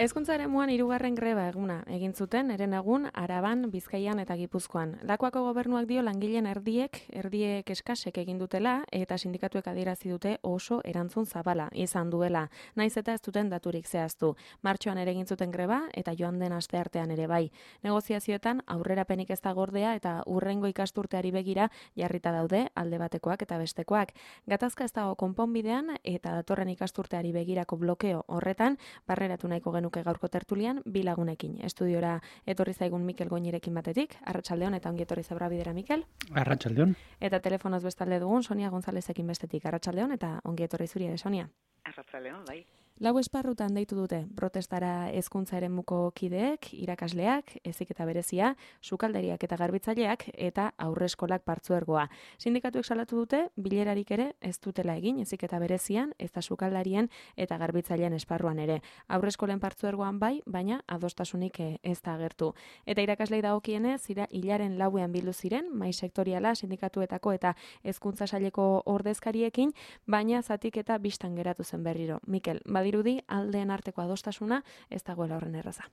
Hezkuntza eremuan 3. greba eguna egin zuten herenegun Araban, Bizkaian eta Gipuzkoan. Lakuako gobernuak dio langileen erdiek eskasek egin dutela eta sindikatuek adierazi dute oso erantzun zabala izan duela. Naiz eta ez duten daturik zehaztu. Martxoan ere egin zuten greba eta joan den asteartean ere bai. Negoziazioetan aurrerapenik ez da gordea eta hurrengo ikasturteari begira jarrita daude alde batekoak eta bestekoak. Gatazka ez dago konponbidean eta datorren ikasturteari begirako blokeo horretan barreratu nahiko genuke gaurko tertulian bi lagunekin. Estudiora etorri zaigun Mikel Goñirekin batetik. Arratsaldeon eta ongi etorri Zabra bidera, Mikel. Arratsaldeon. Eta telefonoz bestalde dugun Sonia Gonzalezekin bestetik. Arratsaldeon eta ongi etorri zuri ere, Sonia. Arratsaldeon, bai. Lau esparrutan deitu dute protestara hezkuntza eremuko kideek, irakasleak, heziketa berezia, sukaldariak eta garbitzaileak eta aurreskolak partzuergoa. Sindikatuek salatu dute bilerarik ere ez dutela egin heziketa berezian, ez da sukaldarien eta garbitzaileen esparruan ere. Aurreskolen partzuergoan bai, baina adostasunik ez da agertu. Eta irakaslei dagokienez, hilaren 4ean bildu ziren, mahai sektoriala sindikatuetako eta hezkuntza saileko ordezkariekin, baina zatik eta bistan geratu zen berriro. Mikel, badirudi aldeen arteko adostasuna ez dagoela horren erraza.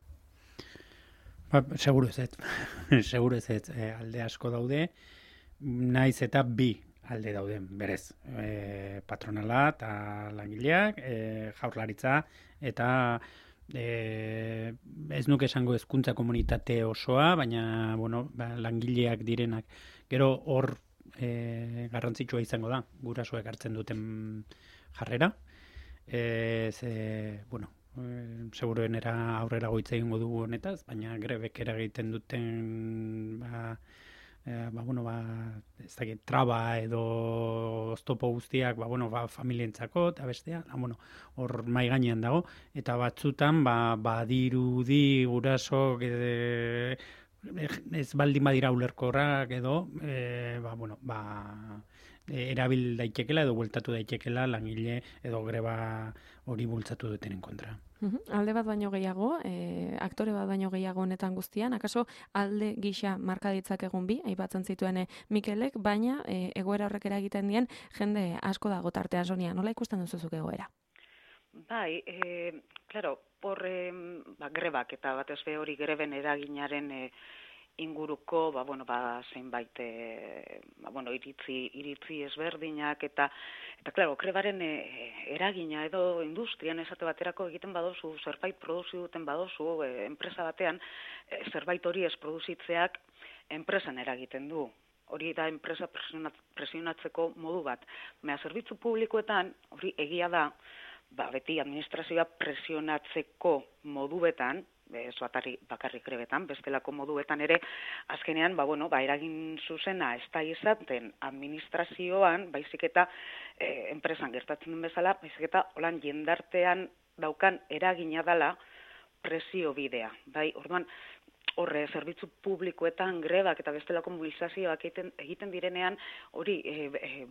Seguru ez. Seguru ez. Alde asko daude, naiz eta bi alde dauden, berez. Patronala eta langileak, jaurlaritza eta ez nuke esango hezkuntza komunitate osoa, baina langileak direnak. Gero hor garrantzitsua izango da, gurasoek hartzen duten jarrera. Seguruenera aurrera goitza egingo dugu honetaz, baina grebek eragiten duten ez dakit, traba edo oztopo guztiak familientzako eta bestea, hor mai gainean dago, eta batzutan badirudi gurasok ez baldin badira ulerkorrak edo erabil daitekela edo bueltatu daitekela langile edo greba hori bultzatu dutenen kontra. Alde bat baino gehiago, aktore bat baino gehiago honetan guztian, akaso alde gisa marka ditzakegun bi, aipatzen zituen Mikelek, baina egoera horrek eragiten dien jende asko dago tartean, Sonia, nola ikusten duzuzuk egoera? Bai, hor grebak eta batez be hori greben eraginaren inguruko zenbait iritzi ezberdinak eta grebaren eragina edo industrian esate baterako egiten badozu, zerbait produziu duten badozu, enpresa batean, zerbait hori ez produzitzeak enpresan eragiten du. Hori da enpresa presionatzeko modu bat. Zerbitzu publikoetan, hori egia da, beti administrazioa presionatzeko moduetan, ez bakarrik grebetan, bestelako moduetan ere, azkenean, eragin zuzena ez da izaten administrazioan, baizik eta enpresan gertatzen den bezala, baizik eta holan jendartean daukan eragina dela presio bidea. Orduan, horre, zerbitzu publikoetan grebak eta bestelako mobilizazioak egiten direnean, hori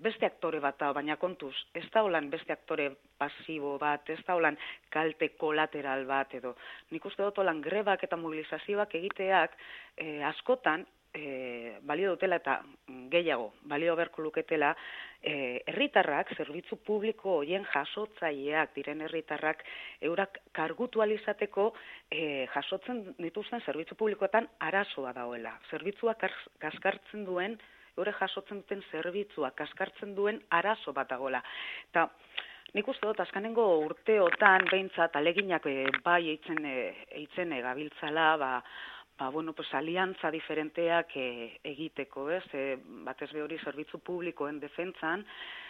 beste aktore bat da, baina kontuz, ez da holan beste aktore pasibo bat, ez da holan kalte kolateral bat edo. Nik uste dut holan grebak eta mobilizazioak egiteak askotan balio dutela eta gehiago balio beharko luketela herritarrak, zerbitzu publiko horien jasotzaileak diren herritarrak eurak kargutu alizateko jasotzen dituzten zerbitzu publikoetan arazoa dagoela. Zerbitzua kaskartzen duen, eure jasotzen duten zerbitzua kaskartzen duen arazo bat dagoela. Eta nik uste dut, azkanengo urteotan behintzat aleginak bai eitzen gabiltzala, aliantza diferenteak egiteko, ez? Batez be hori zerbitzu publikoen defentsan,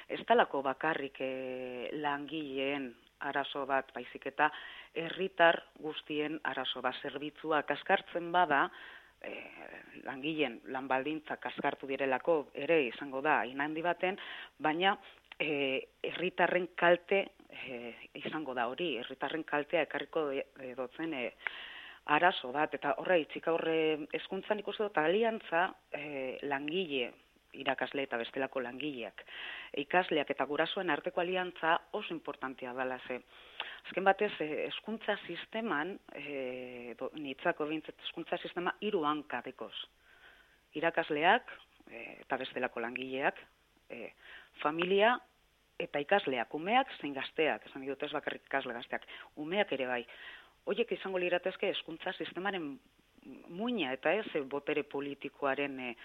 ez talako bakarrik langileen arazo bat, baizik eta herritar guztien arazo bat. Zerbitzua kaskartzen bada, langileen lanbaldintza kaskartu direlako ere izango da inhandi baten, baina herritarren kalte izango da hori, herritarren kaltea ekarriko dotzen arazo bat, eta horre hezkuntzan ikusten dut aliantza langile, irakasle eta bestelako langileak, ikasleak eta gurasoen arteko aliantza oso importantea dela ze. Azken batez, hezkuntza sisteman, nitzako bintzat hezkuntza sistema 3 hanka dekoz. Irakasleak eta bestelako langileak, familia eta ikasleak, umeak zein gazteak, esan dut ez bakarrik ikasle gazteak, umeak ere bai. horiek izango liratezke hezkuntza sistemaren muina, eta ez botere politikoaren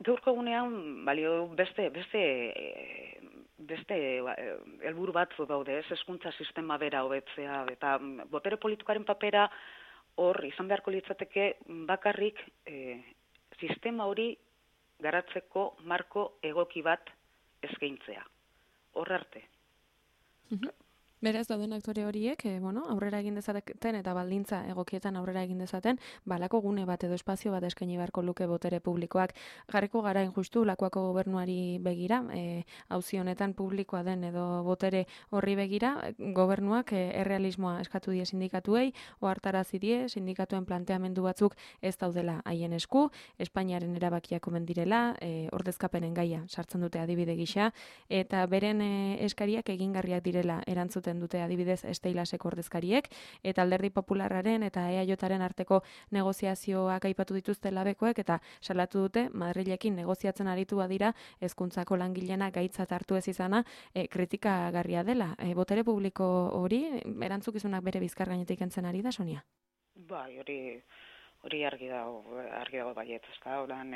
gaurko egunean balio beste helburu batzu daude, ez hezkuntza sistema bera hobetzea, eta botere politikoaren papera hor izan beharko litzateke bakarrik sistema hori garatzeko marko egoki bat eskaintzea. Hor arte. Beraz, dauden aktore horiek, aurrera egin dezaten eta baldintza egokietan aurrera egin dezaten, balako gune bat edo espazio bat eskaini beharko luke botere publikoak. Jarriko gara injustu Lakuako gobernuari begira, auzi honetan publikoa den edo botere horri begira, gobernuak errealismoa eskatu die sindikatuei, ohartarazi die sindikatuen planteamendu batzuk ez daudela haien esku, Espainiaren erabakiak omen direla, ordezkapenen gaia sartzen dute adibide gisa, eta beren eskariak egingarriak direla erantzuten dute adibidez Esteilaseko ordezkariek, eta Alderdi Popularraren eta EAJaren arteko negoziazioak aipatu dituzte labekoek, eta salatu dute Madrilekin negoziatzen aritu badira hezkuntzako langileena gaitzat hartu ez izana kritikagarria dela. Botere publiko hori erantzukizunak bere bizkar gainetik kentzen ari da, Sonia? Bai, hori argi dago baiet, ezta? Ordan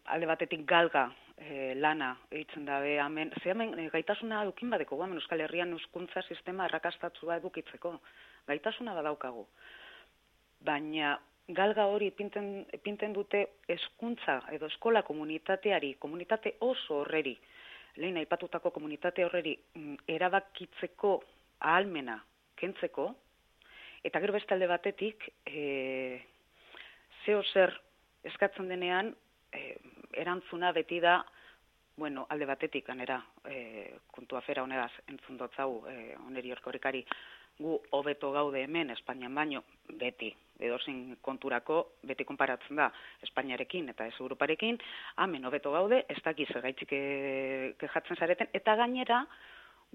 alde batetik galga lana eitzen dabe hemen gaitasuna edukin badeko hemen Euskal Herrian hezkuntza sistema arrakastatsua edukitzeko gaitasuna badaukagu, baina galga hori ipinten dute hezkuntza edo eskola komunitate oso horreri, lehen aipatutako komunitate horreri erabakitzeko ahalmena kentzeko, eta gero beste alde batetik zeo zer eskatzen denean, erantzuna beti da, alde batetik, ganera, kontu afera honegaz entzun dotzau, oneri orkorikari, gu hobeto gaude hemen, Espainian baino, beti, edozein konturako, beti konparatzen da, Espainiarekin eta ez Europarekin, hemen hobeto gaude, ez dakiz gaitzik kejatzen zareten, eta gainera,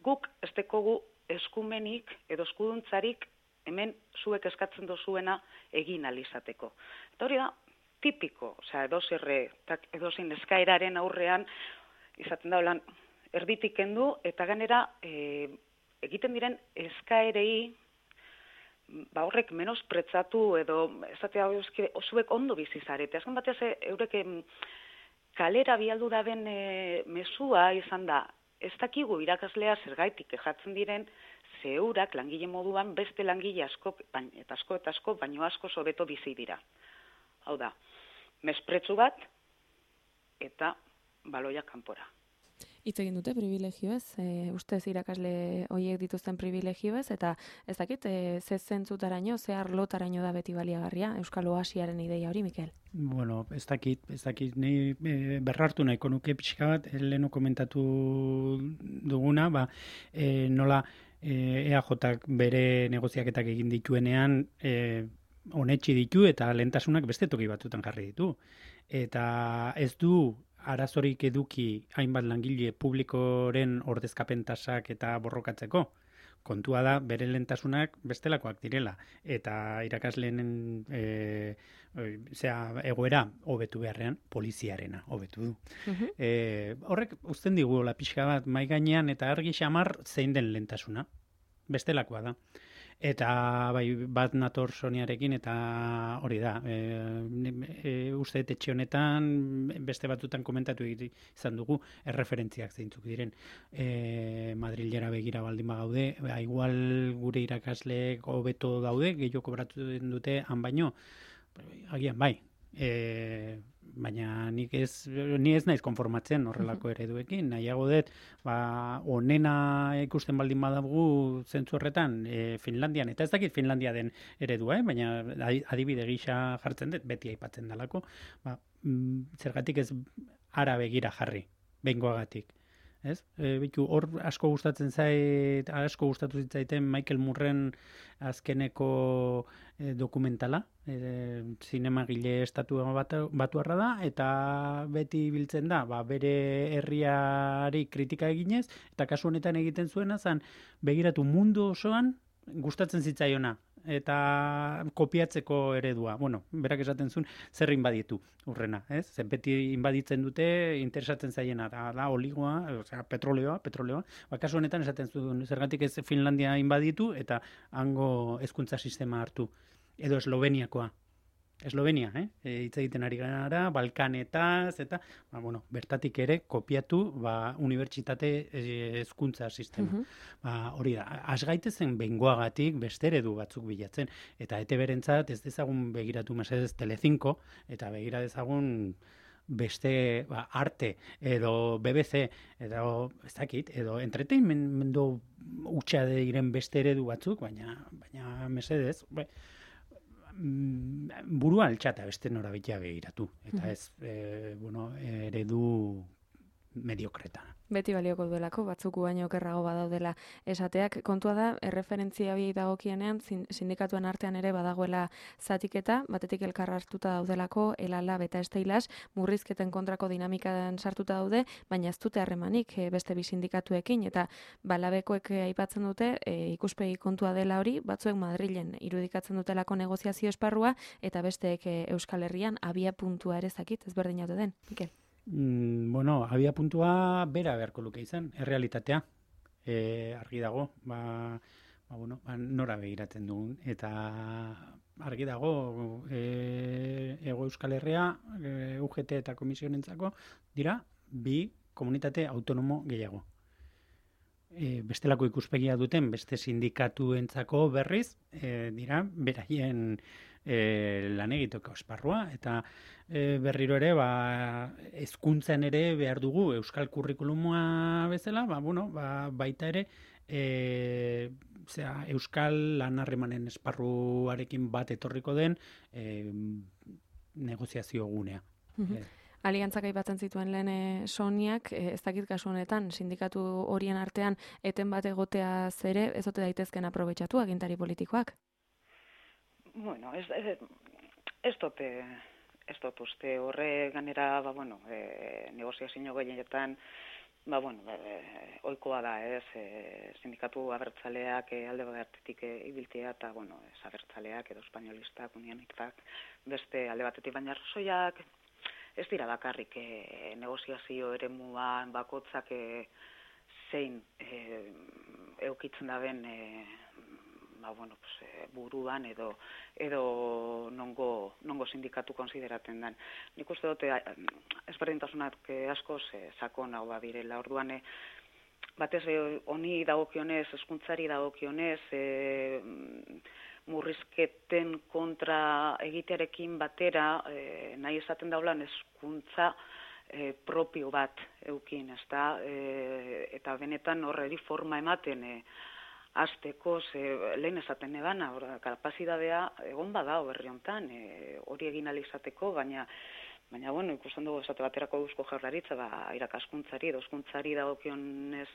guk ez dekogu eskumenik edo eskuduntzarik hemen zuek eskatzen dozuena egin alizateko. Eta hori da, tipiko, edozein eskaeraren aurrean, izaten da, holan, erditik kendu, eta ganera, egiten diren eskaerei, horrek menospretzatu, edo, ezatea, zuek ondo bizizarete. Azken batez, eurek kalera bialdu daben mesua izan da, ez dakigu irakaslea zergaitik kejatzen diren, zeurak langile moduan beste langile asko, eta asko, baino asko hobeto bizi dira. Hau da, mespretsu bat eta baloia kanpora. Hitz egin dute privilegioez, ustez irakasle horiek dituzten privilegioez, eta ez dakit, ze zentzutaraino, ze arlotaraino da beti baliagarria, Euskal Oasiaren ideia hori, Mikel? Bueno, ez dakit, ni berrartu nahiko nuke pixka bat, leheno komentatu duguna, nola EAJak bere negoziaketak egin dituenean, onetxi ditu eta lehentasunak beste toki batzutan jarri ditu. Eta ez du arazorik eduki hainbat langile publikoren ordezkapen tasak eta borrokatzeko. Kontua da, bere lehentasunak bestelakoak direla. Eta irakasleen egoera hobetu beharrean, poliziarena hobetu du. Horrek uzten digu pixka bat mai gainean eta argi xamar zein den lehentasuna. Bestelakoa da. Eta bat nator Soniarekin eta hori da. Uste etxe honetan beste batzutan komentatu izan dugu erreferentziak zeintzuk diren. Madrilera begira baldin bagaude, igual gure irakasleek hobeto daude, gehiago kobratu dute han baino, agian bai. Baina ni ez naiz konformatzen horrelako ereduekin, nahiago dut, onena ikusten baldin badagu zentzu horretan Finlandian, eta ez dakit Finlandia den eredua, baina adibide gisa jartzen dut, beti aipatzen dalako, zergatik ez ara begira jarri, behingoagatik. Ez? Hor asko gustatzen asko gustatu zitzaiten Michael Moorren azkeneko dokumentala, zinemagile estatu batuarra da, eta beti biltzen da, bere herriari kritika eginez, eta kasu honetan egiten zuena zan, begiratu mundu osoan gustatzen zitzaiona eta kopiatzeko eredua. Bueno, berak esaten zuen, zer inbaditu urrena, ez? Zer beti inbaditzen dute, interesatzen zaiena, da oligoa, osea, petroleoa. Kasu honetan esaten zuen, zergatik ez Finlandia inbaditu, eta hango hezkuntza sistema hartu. Edo Esloveniakoa. Eslovenia, hitz egiten ari gara, Balkanetaz, eta, bertatik ere kopiatu, unibertsitate hezkuntza sistema. Hori da, asgaitezen bengoagatik beste eredu batzuk bilatzen, eta ETB-rentzat ez dezagun begiratu mesedez Telecinco, eta begira dezagun beste arte, edo BBC, edo ez dakit, edo entretenmendu hutsa diren beste eredu batzuk, baina mesedez, burua altxata beste norabitea begiratu. Eta ez, eredu mediokretana. Beti balioko duelako, batzuk baino okerrago badaudela esateak. Kontua da, erreferentzia biei dagokienean, sindikatuen artean ere badagoela zatiketa, batetik elkar hartuta daudelako, Elala eta Esteilas, murrizketen kontrako dinamikan sartuta daude, baina ez dute harremanik beste bi sindikatuekin, eta Labekoek aipatzen dute, ikuspegi kontua dela hori, batzuek Madrilen irudikatzen dutelako negoziazio esparrua, eta besteek Euskal Herrian abia puntua ere zakit, ezberdin jaute den, Mikel? Abia puntua bera beharko luke izan, errealitatea. Argi dago, nora begiratzen dugun. Eta argi dago, Hego Euskal Herria, UGT eta komisionentzako, dira, bi komunitate autonomo gehiago. Bestelako ikuspegia duten, beste sindikatuentzako berriz, dira, beraien lan egiteko esparrua, eta berriro ere, hezkuntzan ere behar dugu euskal kurrikuluma bezala, baita ere, euskal lan harremanen esparruarekin bat etorriko den negoziazio gunea. Aliantzak aipatzen zituen lehen Soniak, ez dakit kasu honetan, sindikatu horien artean eten bat egotea zere, ez ote daitezken aprobetxatu agintari politikoak? Bueno, ez dut uste horre ganera, negoziazio gehienetan, ohikoa da, sindikatu abertzaleak alde batetik ibiltzea, eta, ez abertzaleak edo espainolistak, unionitak, beste alde batetik, baina arrazoiak ez dira bakarrik negoziazio eremuan bakotzak zein eukitzen daben buruan edo nongo sindikatu konsideratzen den. Nik uste dute ezberdintasunak askoz sakon hau direla. Orduan batez honi dagokionez, hezkuntzari dagokionez, murrizketen kontra egitearekin batera nahi esaten daulan hezkuntza propio bat eukin, ezta? Eta benetan horreri forma ematen hasteko, lehen esaten ebana, kapazitatea egon badao herri hontan, hori egin ahal izateko, baina ikusten dugu esate baterako Eusko Jaurlaritza, irakaskuntzari edo hezkuntzari dagokionez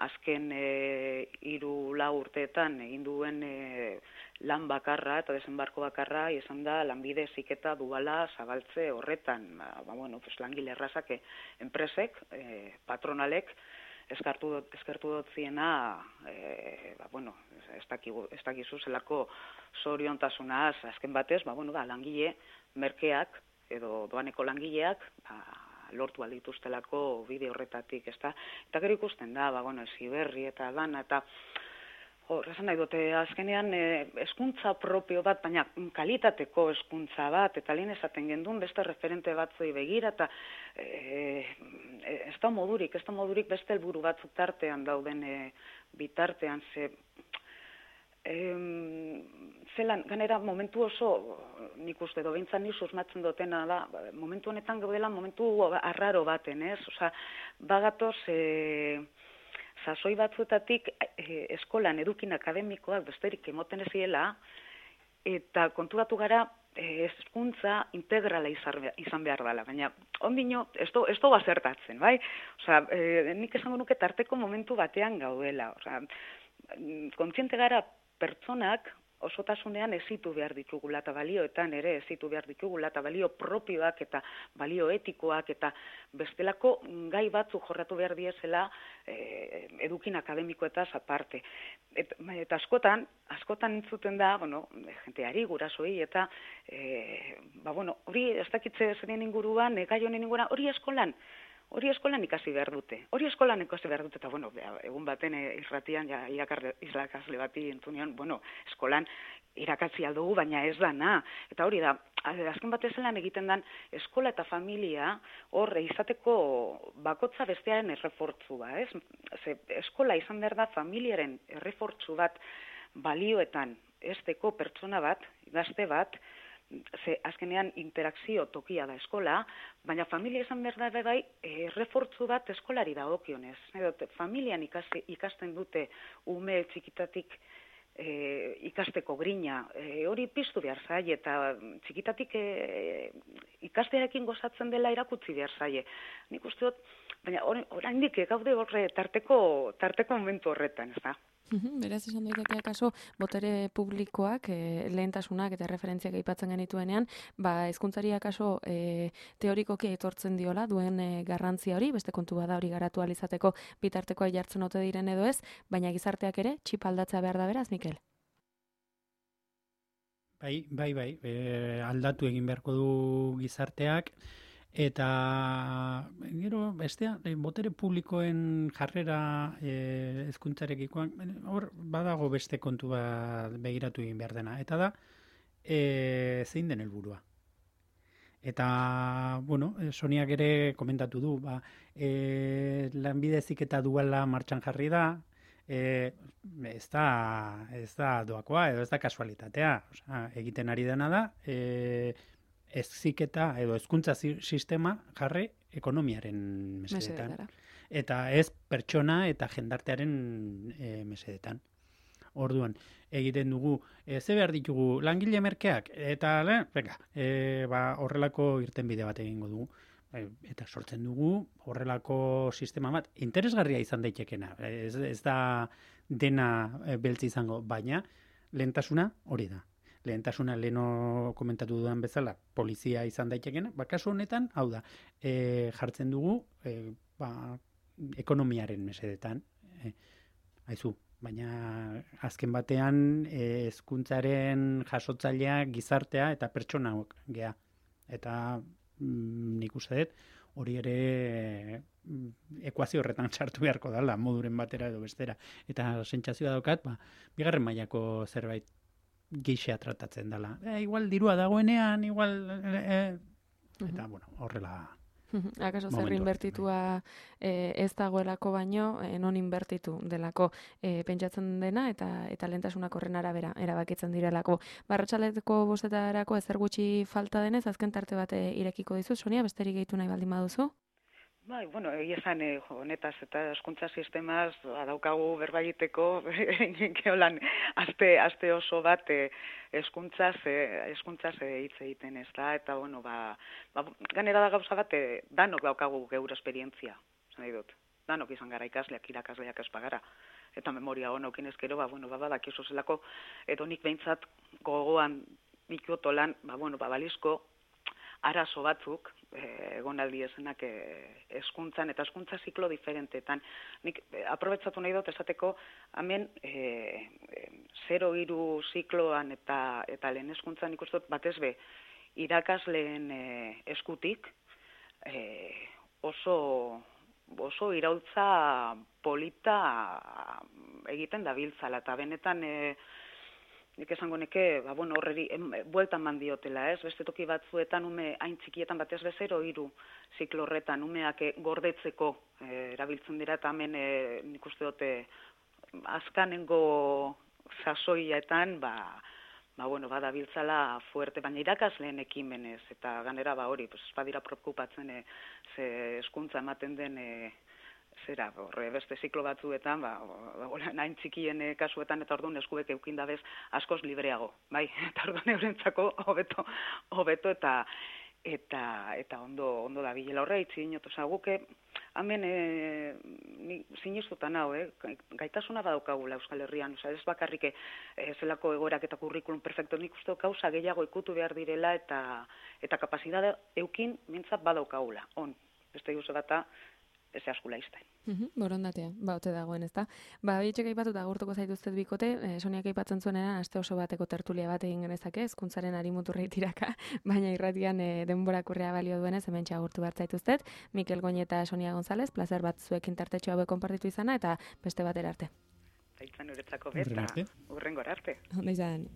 azken 3-4 urteetan egin duen lan bakarra eta desenbarko bakarra izan da lanbide heziketa duala zabaltze horretan. Langile errazak enpresek, patronalek, eskertu dotziena, ez dakizu zelako zoriontasunaz, azken batez, langile merkeak, edo doaneko langileak, lortu aldituztelako bide horretatik, ezta? Eta gero ikusten da, Heziberri eta dana, eta esan nahi dute, azkenean hezkuntza propio bat, baina kalitateko hezkuntza bat, eta lehen esaten gendun beste referente batzui begira, eta ez da modurik beste helburu batzuk tartean dauden bitartean, zelan, ganera momentu oso, nik uste behintzat ni susmatzen dutena da, momentu honetan gaudela momentu arraro baten, ez? Osa, bagatoz, sasoi batzuetatik eskolan edukin akademikoak besterik emoten eziela, eta konturatu gara hezkuntza integrala izan behar dela, baina ondino ez du bazertatzen, bai? Osa, nik esango nuke tarteko momentu batean gaudela, osa, kontziente gara pertsonak osotasunean ezitu behar ditugula eta balioetan ere ezitu behar ditugula eta balio propioak eta balio etikoak eta bestelako gai batzuk jorratu behar diezela edukin akademikoetaz aparte. Eta askotan entzuten da, jenteari, gurasoi, eta hori ez dakitze zeren inguruan, gai honen inguruan, hori eskolan ikasi behar dute. Eta, egun baten irratian, irakasle bati entzunean, eskolan irakatzi aldugu, baina ez dana. Eta hori da, azken batezelan egiten dan, eskola eta familia hor izateko bakotza bestearen errefortzua, ez? Eskola izan behar da familiaren errefortzu bat balioetan esteko pertsona bat, gazte bat, azkenean interakzio tokia da eskola, baina familia izan behar da bai errefortzu bat eskolari dagokionez. Familian ikasten dute ume txikitatik ikasteko grina, hori piztu behar zaie, eta txikitatik ikastearekin gozatzen dela erakutsi behar zaie. Nik uste dut, baina oraindik gaude horre tarteko momentu horretan, ez da? Beraz, esan daitekeak kaso, botere publikoak lehentasunak eta referentziak aipatzen genituenean, hezkuntzari akaso teorikoki aitortzen diola duen garrantzia hori, beste kontu bada hori garatu ahal izateko bitartekoa jartzen ote diren edo ez, baina gizarteak ere txip aldatzea behar da beraz, Mikel? Bai, aldatu egin beharko du gizarteak, eta gero bestea, botere publikoen jarrera hezkuntzarekikoan, hor badago beste kontu bat begiratu egin behar dena, eta da zein den helburua. Eta, Soniak ere komentatu du, lanbide heziketa duala martxan jarri da, ez da doakoa, edo ez da kasualitatea. Egiten ari dena da, heziketa edo hezkuntza sistema jarri ekonomiaren mesedetan. Eta ez pertsona eta jendartearen mesedetan. Orduan, egiten dugu, ze behar ditugu langile merkeak, eta horrelako irtenbide bat egingo dugu. Eta sortzen dugu horrelako sistema bat interesgarria izan daitekena. Ez da dena beltz izango, baina lehentasuna hori da. Lehentasuna leheno komentatu dudan bezala polizia izan daitekena, kasu honetan, hau da, jartzen dugu ekonomiaren mesedetan. Haizu, baina azken batean hezkuntzaren jasotzailea gizartea eta pertsona gea. Eta nik uste dut, hori ere ekuazio horretan sartu beharko dela, moduren batera edo bestera. Eta sentsazioa daukat, bigarren mailako zerbait gixea tratatzen dela. Igual dirua dagoenean, igual... Eta, horrela... Akaso zer inbertitua ez dagoelako baino, non inbertitu delako pentsatzen dena eta lehentasunak horren arabera erabakitzen direlako. Arratsaleko 5:00 ezer gutxi falta denez, azken tarte bat irekiko dizu, Sonia, besterik gehitu nahi baldin baduzu? Egia esan, honetaz eta hezkuntza sistemaz daukagu berba egiteko, geolan aste oso bat hezkuntzaz hitz egiten ez da, eta ganera da gauza bat, danok daukagu geure esperientzia, nahi dut. Danok izan gara ikasleak, irakasleak ez bagara. Eta memoria honokin ezkero, badakizu zelako, edo nik behintzat gogoan dituotolan, balizko arazo batzuk, egonaldi ezenak hezkuntzan eta hezkuntza ziklo diferentetan. Nik aprobetsatu nahi dut esateko, hemen 0-3 zikloan eta lehen hezkuntzan nik uste dut batez be irakasleen eskutik oso iraultza polita egiten dabiltzala, eta benetan nik esango neke, horreri bueltan mandiotela, ez? Beste toki batzuetan ume hain txikietan batez be 0-3 ziklo horretan umeak gordetzeko erabiltzen dira, eta hemen nik uste dute azkanengo sasoietan badabiltzala fuerte, baina irakasleen ekimenez, eta ganera hori, badira preokupatzen ze hezkuntza ematen den beste ziklo batzuetan, nahin txikien kasuetan, eta orduan eskuek eukindabez askoz libreago, bai? Eta orduan eurentzako hobeto, eta eta ondo da bilela horre, itzi dinot, guke, hemen sinistutan hau, gaitasuna badaukagula Euskal Herrian, ez bakarrik zelako egoerak eta kurrikulum perfecto, nik uste gauza gehiago ikutu behar direla eta kapazitate eukin mintzat badaukagula, beste guze bata, ez askula izten. Borondatea, ote dagoen, ezta? Bietxek aipatuta agurtuko zaituztet bikote, Soniak aipatzen zuenera aste oso bateko tertulia bat egin genezake, hezkuntzaren arimuturrei tiraka, baina irratian denborak urrea balio duenez, hementxe agurtu behar zaituztet. Mikel Goñi eta Sonia González, plazer bat zuekin tartetxo hauek konpartitu izana, eta beste batera arte. Zaitzan uretzako beta, urrengora arte. Onda izan.